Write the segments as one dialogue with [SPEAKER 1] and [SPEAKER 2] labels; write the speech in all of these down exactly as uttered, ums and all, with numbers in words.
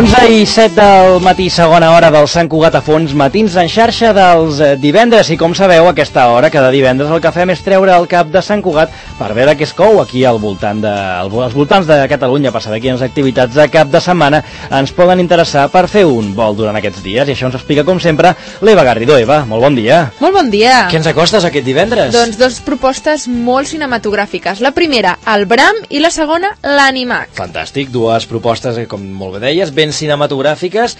[SPEAKER 1] onze i set del matí, segona hora del Sant Cugat a fons, matins en xarxa dels divendres. I com sabeu, a aquesta hora, cada divendres, el que fem és treure el cap de Sant Cugat per veure què es cou aquí al voltant de, als voltants de Catalunya, per saber quines activitats de cap de setmana ens poden interessar per fer un vol durant aquests dies. I això ens explica, com sempre, l'Eva Garrido. Eva, molt bon dia.
[SPEAKER 2] Molt bon dia.
[SPEAKER 1] Què ens acostes aquest divendres?
[SPEAKER 2] Doncs dos propostes molt cinematogràfiques. La primera, el Bram, i la segona, l'Animac.
[SPEAKER 1] Fantàstic, dues propostes, com molt bé deies, ben cinematogràfiques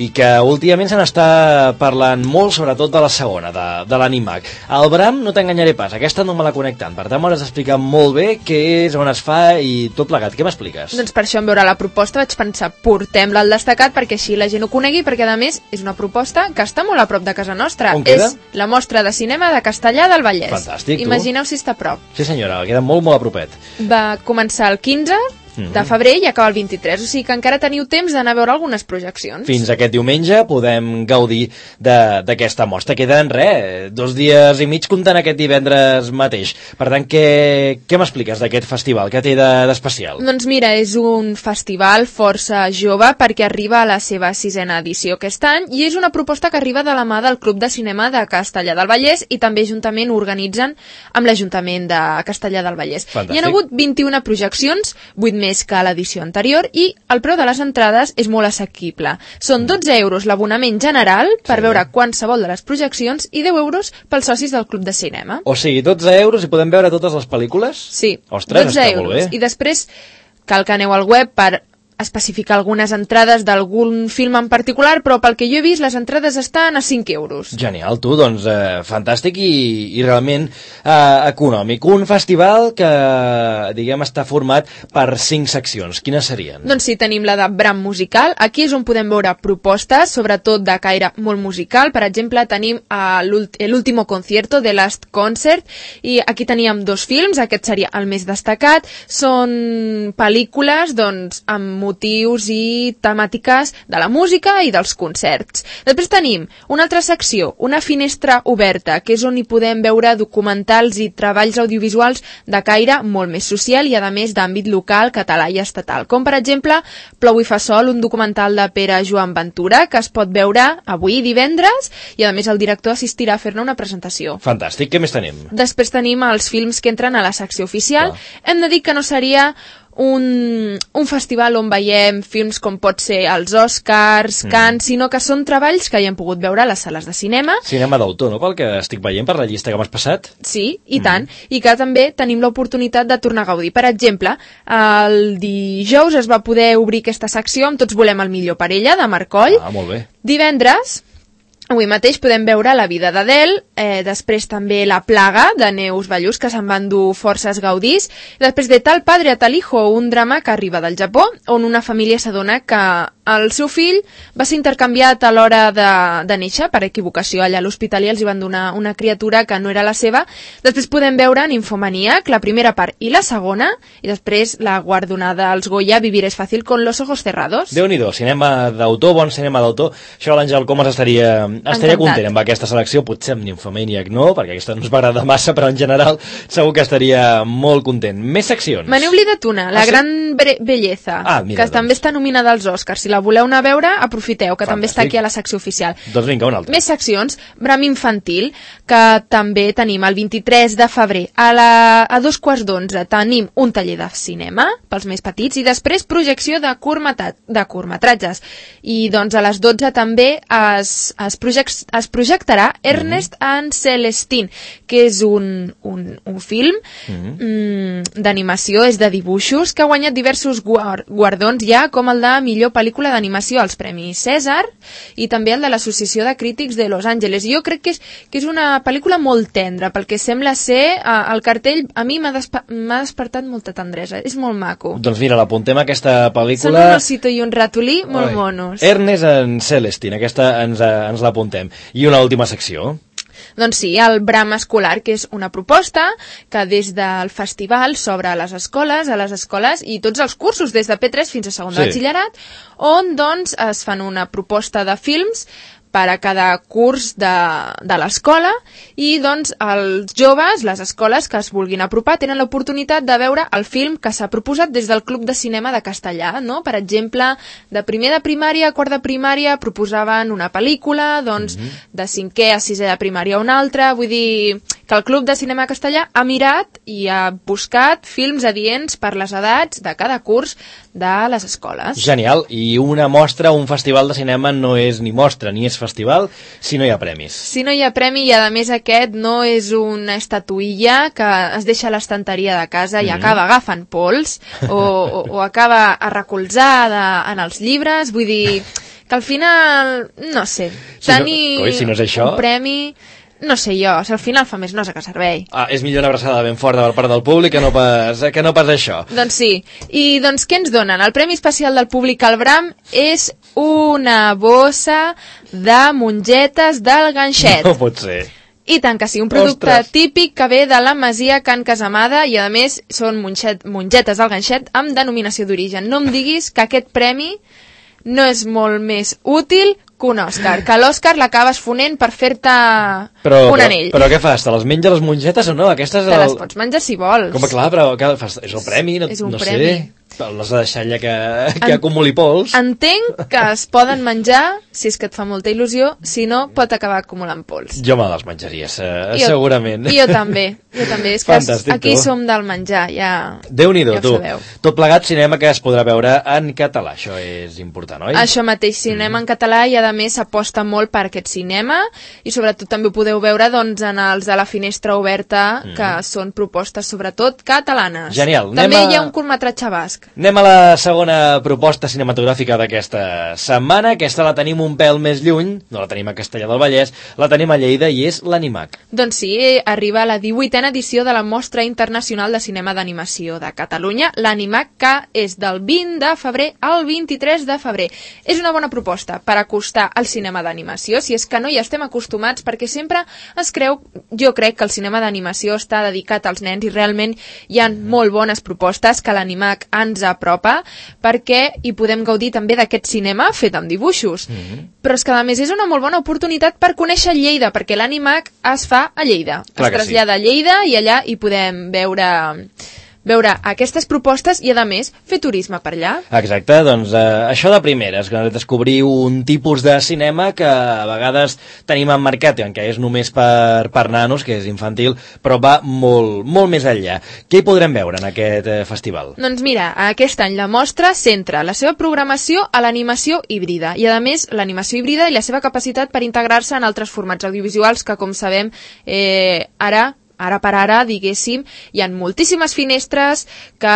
[SPEAKER 1] i que últimament se n'està parlant molt, sobretot de la segona, de, de l'Animac. El Bram, no t'enganyaré pas, aquesta no me la conec tant, per tant m'hauràs d'explicar molt bé què és, on es fa i tot plegat. Què m'expliques?
[SPEAKER 2] Doncs per això, en veure la proposta, vaig pensar, portem-la al destacat perquè així la gent ho conegui, perquè a més és una proposta que està molt a prop de casa nostra.
[SPEAKER 1] On queda?
[SPEAKER 2] És la mostra de cinema de Castellar del Vallès.
[SPEAKER 1] Fantàstic, tu.
[SPEAKER 2] Imagineu si està a prop.
[SPEAKER 1] Sí senyora, queda molt molt a propet.
[SPEAKER 2] Va començar el quinze de febrer i acaba el vint-i-tres, o sigui que encara teniu temps d'anar a veure algunes projeccions.
[SPEAKER 1] Fins aquest diumenge podem gaudir d'aquesta mostra. Queden, res, dos dies i mig comptant aquest divendres mateix. Per tant, què, què m'expliques d'aquest festival? Què té d'especial?
[SPEAKER 2] Doncs mira, és un festival força jove perquè arriba a la seva sisena edició aquest any i és una proposta que arriba de la mà del Club de Cinema de Castellar del Vallès i també juntament organitzen amb l'Ajuntament de Castellar del Vallès.
[SPEAKER 1] Fantàstic.
[SPEAKER 2] Hi ha hagut vint-i-una projeccions, vuit més més que a l'edició anterior, i el preu de les entrades és molt assequible. Són dotze euros l'abonament general per
[SPEAKER 1] sí.
[SPEAKER 2] veure qualsevol de les projeccions i deu euros pels socis del Club de Cinema.
[SPEAKER 1] O sigui, dotze euros i podem veure totes les pel·lícules?
[SPEAKER 2] Sí,
[SPEAKER 1] ostres,
[SPEAKER 2] dotze
[SPEAKER 1] està
[SPEAKER 2] euros.
[SPEAKER 1] Molt bé.
[SPEAKER 2] I després cal que aneu al web per especificar algunes entrades d'algun film en particular, però pel que jo he vist les entrades estan a cinc euros.
[SPEAKER 1] Genial, tu, doncs eh, fantàstic i, i realment eh, econòmic. Un festival que, diguem, està format per cinc seccions. Quines serien?
[SPEAKER 2] Doncs sí, tenim la de Bram musical. Aquí és on podem veure propostes, sobretot de caire molt musical. Per exemple, tenim l'último concierto de Last Concert i aquí teníem dos films, aquest seria el més destacat. Són pel·lícules, doncs, amb motius i temàtiques de la música i dels concerts. Després tenim una altra secció, una finestra oberta, que és on hi podem veure documentals i treballs audiovisuals de caire molt més social i, a més, d'àmbit local, català i estatal. Com, per exemple, Plou i fa sol, un documental de Pere Joan Ventura, que es pot veure avui, divendres, i, a més, el director assistirà a fer-ne una presentació.
[SPEAKER 1] Fantàstic. Què més tenim?
[SPEAKER 2] Després tenim els films que entren a la secció oficial. Clar. Hem de dir que no seria Un, un festival on veiem films com pot ser els Oscars, mm. Cannes, sinó que són treballs que hi hem pogut veure a les sales de cinema.
[SPEAKER 1] Cinema d'autor, no?, pel que estic veient per la llista que m'has passat.
[SPEAKER 2] Sí, i mm. tant, i que també tenim l'oportunitat de tornar a gaudir. Per exemple, el dijous es va poder obrir aquesta secció amb Tots volem el millor per ella, de Marcoll.
[SPEAKER 1] Ah, molt bé.
[SPEAKER 2] Divendres, avui mateix podem veure La vida d'Adele, eh, després també La plaga, de Neus Ballús, que se'n van dur forces gaudís, i després de Tal padre a tal hijo, un drama que arriba del Japó, on una família s'adona que el seu fill va ser intercanviat a l'hora de, de néixer, per equivocació. Allà a l'hospital els hi van donar una criatura que no era la seva. Després podem veure Ninfomaníac, la primera part i la segona, i després la guardonada als Goya, Vivir es fácil con los ojos cerrados.
[SPEAKER 1] Déu-n'hi-do, cinema d'autor, bon cinema d'autor. Això l'Àngel Comas estaria, estaria content amb aquesta selecció, potser amb Ninfomaníac no, perquè aquesta no ens va agradar massa, però en general segur que estaria molt content. Més seccions.
[SPEAKER 2] Me n'he oblidat una, La ah, sí? gran belleza,
[SPEAKER 1] ah, mira,
[SPEAKER 2] que doncs. també està nominada als Oscars. Si la voleu anar a veure, aprofiteu, que
[SPEAKER 1] Fantàstic.
[SPEAKER 2] També està aquí a la secció oficial.
[SPEAKER 1] Doncs vinga, una altra.
[SPEAKER 2] Més seccions, Bram infantil, que també tenim el vint-i-tres de febrer. A, la, a dos quarts d'onze tenim un taller de cinema pels més petits i després projecció de, curmatat, de curtmetratges. I doncs a les dotze també es, es, project, es projectarà Ernest mm. and Celestine, que és un, un, un film mm. mm, d'animació, és de dibuixos, que ha guanyat diversos guardons ja, com el de millor pel·lícula d'animació als Premis Cèsar i també el de l'Associació de Crítics de Los Angeles. Jo crec que és, que és una pel·lícula molt tendra, pel que sembla ser eh, el cartell a mi m'ha despa despertat molta tendresa, és molt maco.
[SPEAKER 1] Doncs mira, l'apuntem aquesta pel·lícula.
[SPEAKER 2] Són un osito i un ratolí molt Oi. monos.
[SPEAKER 1] Ernest and Celestine, aquesta ens, ens l'apuntem. I una última secció.
[SPEAKER 2] Doncs sí, el Bram escolar, que és una proposta que des del festival s'obre a les escoles, a les escoles i tots els cursos, des de P tres fins a segon de sí. batxillerat, on doncs es fan una proposta de films per a cada curs de, de l'escola i doncs els joves, les escoles que es vulguin apropar, tenen l'oportunitat de veure el film que s'ha proposat des del Club de Cinema de Castellà, no? Per exemple, de primer de primària a quart de primària proposaven una pel·lícula, doncs mm-hmm. de cinquè a sisè de primària una altra, vull dir que el Club de Cinema de Castellà ha mirat i ha buscat films adients per les edats de cada curs de les escoles.
[SPEAKER 1] Genial, i una mostra, un festival de cinema no és ni mostra ni és festival si no hi ha premis.
[SPEAKER 2] Si no hi ha premi i a més aquest no és una estatuïlla que es deixa a l'estanteria de casa i mm-hmm. acaba agafant pols o, o, o acaba arrecolzada en els llibres, vull dir que al final, no sé,
[SPEAKER 1] si
[SPEAKER 2] tenir
[SPEAKER 1] no, oi, si no és això...
[SPEAKER 2] un premi... No sé jo, si al final fa més nosa que servei.
[SPEAKER 1] Ah, és millor una abraçada ben forta per part del públic que no pas, que no pas això.
[SPEAKER 2] Doncs sí. I doncs què ens donen? El Premi Especial del Públic al Bram és una bossa de mongetes del ganxet.
[SPEAKER 1] No pot ser.
[SPEAKER 2] I tant que sí, un producte Ostres. típic que ve de la Masia Can Casamada i a més són monget, mongetes del ganxet amb denominació d'origen. No em diguis que aquest premi no és molt més útil que un Òscar, que l'Òscar l'acabes fonent per fer-te un anell.
[SPEAKER 1] Però, però què fas? Te les menja les mongetes o no? Aquestes
[SPEAKER 2] Te
[SPEAKER 1] el...
[SPEAKER 2] les pots menjar si vols.
[SPEAKER 1] Com, clar, però què fas? És el premi? No,
[SPEAKER 2] és un
[SPEAKER 1] no
[SPEAKER 2] premi.
[SPEAKER 1] sé. Les de deixar allà que, que en... acumuli pols.
[SPEAKER 2] Entenc que es poden menjar si és que et fa molta il·lusió, si no pot acabar acumulant pols.
[SPEAKER 1] Jo me les menjaria, jo, segurament.
[SPEAKER 2] Jo també, jo també. És que
[SPEAKER 1] Fantàstic,
[SPEAKER 2] aquí
[SPEAKER 1] tu.
[SPEAKER 2] som del menjar, ja,
[SPEAKER 1] Déu-n'hi-do,
[SPEAKER 2] ja ho
[SPEAKER 1] tu.
[SPEAKER 2] sabeu.
[SPEAKER 1] Tot plegat cinema que es podrà veure en català, això és important, oi?
[SPEAKER 2] Això mateix, cinema mm. en català i a més s'aposta molt per aquest cinema i sobretot també ho podeu veure doncs, en els de la Finestra Oberta, mm. que són propostes sobretot catalanes.
[SPEAKER 1] Genial.
[SPEAKER 2] També
[SPEAKER 1] a...
[SPEAKER 2] hi ha un curtmetratge basc.
[SPEAKER 1] Anem a la segona proposta cinematogràfica d'aquesta setmana. Aquesta la tenim un pèl més lluny, no la tenim a Castellar del Vallès, la tenim a Lleida i és l'Animac.
[SPEAKER 2] Doncs sí, arriba la divuitena edició de la Mostra Internacional de Cinema d'Animació de Catalunya, l'Animac, que és del vint de febrer al vint-i-tres de febrer. És una bona proposta per acostar al cinema d'animació, si és que no hi estem acostumats, perquè sempre es creu, jo crec que el cinema d'animació està dedicat als nens i realment hi ha molt bones propostes que l'Animac ens apropa perquè hi podem gaudir també d'aquest cinema fet amb dibuixos. Mm-hmm. Però és que a més és una molt bona oportunitat per conèixer Lleida, perquè l'Animac es fa a Lleida.
[SPEAKER 1] Clar
[SPEAKER 2] es trasllada sí. a Lleida i allà hi podem veure... veure aquestes propostes i, a més, fer turisme per allà.
[SPEAKER 1] Exacte, doncs eh, això de primeres, que descobrir un tipus de cinema que a vegades tenim emmarcat, que és només per, per nanos, que és infantil, però va molt, molt més enllà. Què hi podrem veure en aquest eh, festival?
[SPEAKER 2] Doncs mira, aquest any la mostra centra la seva programació a l'animació híbrida i, a més, l'animació híbrida i la seva capacitat per integrar-se en altres formats audiovisuals que, com sabem, eh, ara... Ara per ara, diguéssim, hi ha moltíssimes finestres que,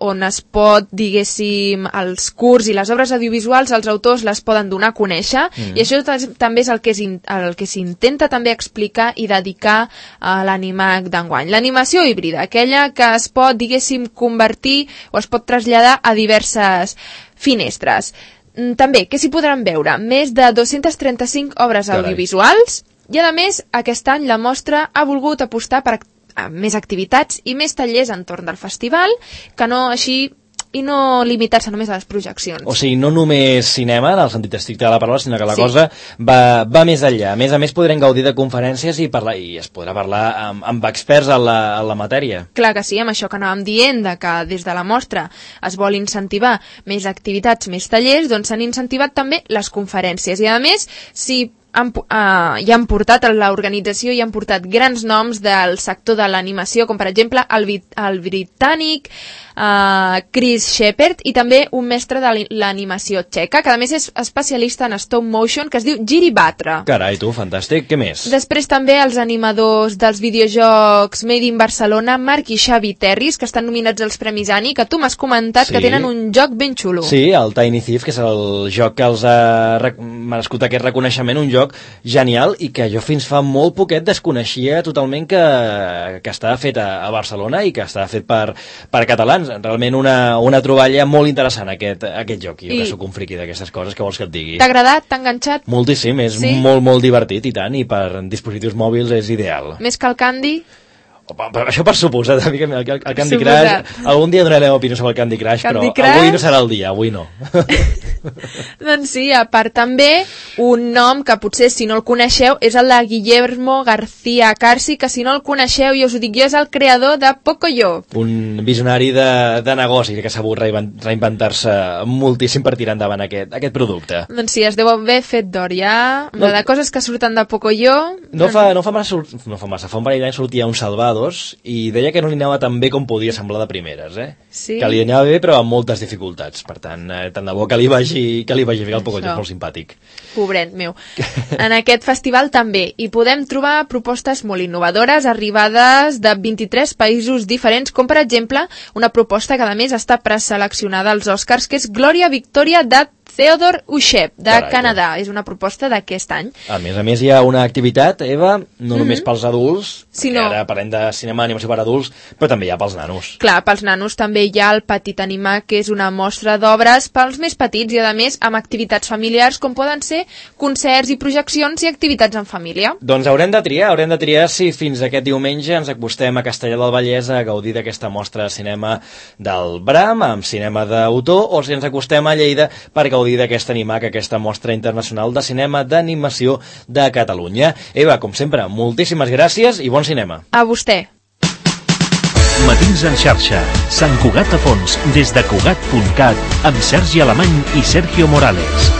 [SPEAKER 2] on es pot, diguéssim, els curts i les obres audiovisuals, els autors les poden donar a conèixer, mm. i això també és el que, és, el que s'intenta també explicar i dedicar a l'Animac d'enguany. L'animació híbrida, aquella que es pot, diguéssim, convertir o es pot traslladar a diverses finestres. També, què s'hi podran veure? Més de dues-centes trenta-cinc obres
[SPEAKER 1] Carai.
[SPEAKER 2] audiovisuals. I, a més, aquest any la mostra ha volgut apostar per a més activitats i més tallers entorn del festival, que no així i no limitar-se només a les projeccions.
[SPEAKER 1] O sigui, no només cinema, en el sentit estricte de la paraula, sinó que la
[SPEAKER 2] sí.
[SPEAKER 1] cosa va, va més enllà. A més a més, podrem gaudir de conferències i, parlar, i es podrà parlar amb, amb experts en la, en la matèria.
[SPEAKER 2] Clar que sí, amb això que anàvem dient, de que des de la mostra es vol incentivar més activitats, més tallers, doncs s'han incentivat també les conferències. I, a més, si Han, uh, hi han portat a l'organització i han portat grans noms del sector de l'animació, com per exemple el, el britànic uh, Chris Shepherd i també un mestre de l'animació txeca, que a més és especialista en stop motion, que es diu Jiri Batra.
[SPEAKER 1] Carai, tu, fantàstic. Què més?
[SPEAKER 2] Després també els animadors dels videojocs Made in Barcelona, Marc i Xavi Terris, que estan nominats als Premis Annie, que tu m'has comentat sí. que tenen un joc ben xulo.
[SPEAKER 1] Sí, el Tiny Thief, que és el joc que els ha merescut aquest reconeixement, un joc genial i que jo fins fa molt poquet desconeixia totalment que, que estava fet a, a Barcelona i que estava fet per, per catalans. Realment una, una troballa molt interessant aquest, aquest joc. Jo I... que sóc un friqui d'aquestes coses, que vols que et digui?
[SPEAKER 2] T'ha agradat? T'ha enganxat?
[SPEAKER 1] Moltíssim, és sí? molt, molt divertit i tant, i per dispositius mòbils és ideal.
[SPEAKER 2] Més que el Candy?
[SPEAKER 1] Això per suposat, el, el, el Candy Crush, algun dia donarem opinió sobre el Candy Crush, Candy però Crush? Avui no serà el dia, avui no.
[SPEAKER 2] Doncs sí, a part també un nom que potser si no el coneixeu és el de Guillermo García Carci, que si no el coneixeu, jo us ho dic jo, és el creador de Pocoyo.
[SPEAKER 1] Un visionari de, de negoci que s'ha volgut reinventar-se moltíssim per tirar endavant aquest, aquest producte.
[SPEAKER 2] Doncs sí, es deu haver fet d'or ja, no, de coses que surten de Pocoyo.
[SPEAKER 1] No fa, no fa massa, no fa massa, fa un parell d'anys sortia un Salvados i deia que no li anava tan bé com podia semblar de primeres, eh?
[SPEAKER 2] Sí.
[SPEAKER 1] Que li anava bé però amb moltes dificultats, per tant, eh, tant de bo que li vagi, que li vagi bé el Pocoyo, és molt simpàtic.
[SPEAKER 2] Pobret meu. En aquest festival també hi podem trobar propostes molt innovadores arribades de vint-i-tres països diferents, com per exemple una proposta que a més està preseleccionada als Oscars, que és Glòria Victòria de Theodore Ushep, de Carai, Canadà. És una proposta d'aquest any.
[SPEAKER 1] A més a més hi ha una activitat, Eva, no només mm-hmm. pels adults,
[SPEAKER 2] sinó...
[SPEAKER 1] ara parlem de cinema d'animació per adults, però també hi ha pels nanos.
[SPEAKER 2] Clar, pels nanos també hi ha el Petit Animar, que és una mostra d'obres pels més petits i, a més, amb activitats familiars, com poden ser concerts i projeccions i activitats en família.
[SPEAKER 1] Doncs haurem de triar, haurem de triar si fins aquest diumenge ens acostem a Castellar del Vallès a gaudir d'aquesta mostra de cinema del Bram, amb cinema d'autor, o si ens acostem a Lleida per gaudir d'aquest Animac, aquesta mostra internacional de cinema d'animació de Catalunya. Eva, com sempre, moltíssimes gràcies i bon cinema.
[SPEAKER 2] A vostè.
[SPEAKER 3] Matins en xarxa, Sant Cugat a fons, des de Cugat punt cat, amb Sergi Alemany i Sergio Morales.